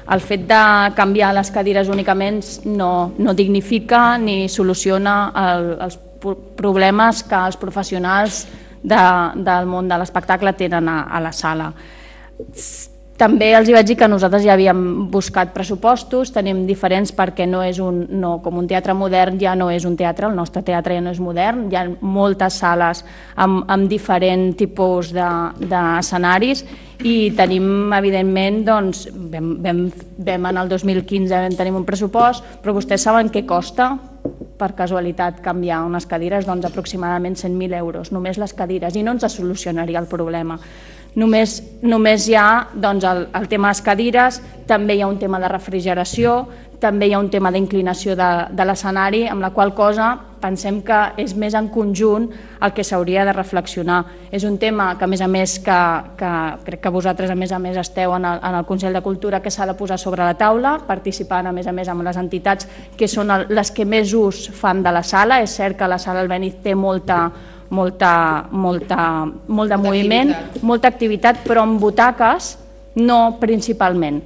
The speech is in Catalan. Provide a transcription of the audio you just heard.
El fet de canviar les cadires únicament no dignifica ni soluciona els problemes que els professionals del món de l'espectacle tenen a la sala. També els vaig dir que nosaltres ja havíem buscat pressupostos, tenim diferents perquè com un teatre modern ja no és un teatre, el nostre teatre ja no és modern, hi ha moltes sales amb diferents tipus d'escenaris i tenim, evidentment, vam en el 2015 vam tenir un pressupost, però vostès saben què costa per casualitat canviar unes cadires? Doncs aproximadament 100.000 euros, només les cadires, i no ens solucionaria el problema. Només hi ha el tema de les cadires, també hi ha un tema de refrigeració, també hi ha un tema d'inclinació de l'escenari, amb la qual cosa pensem que és més en conjunt el que s'hauria de reflexionar. És un tema que, a més, crec que vosaltres, a més, esteu en el Consell de Cultura, que s'ha de posar sobre la taula, participant, a més, amb les entitats que són les que més ús fan de la sala. És cert que la sala Albéniz té molt de moviment, molta activitat, però amb butaques no principalment.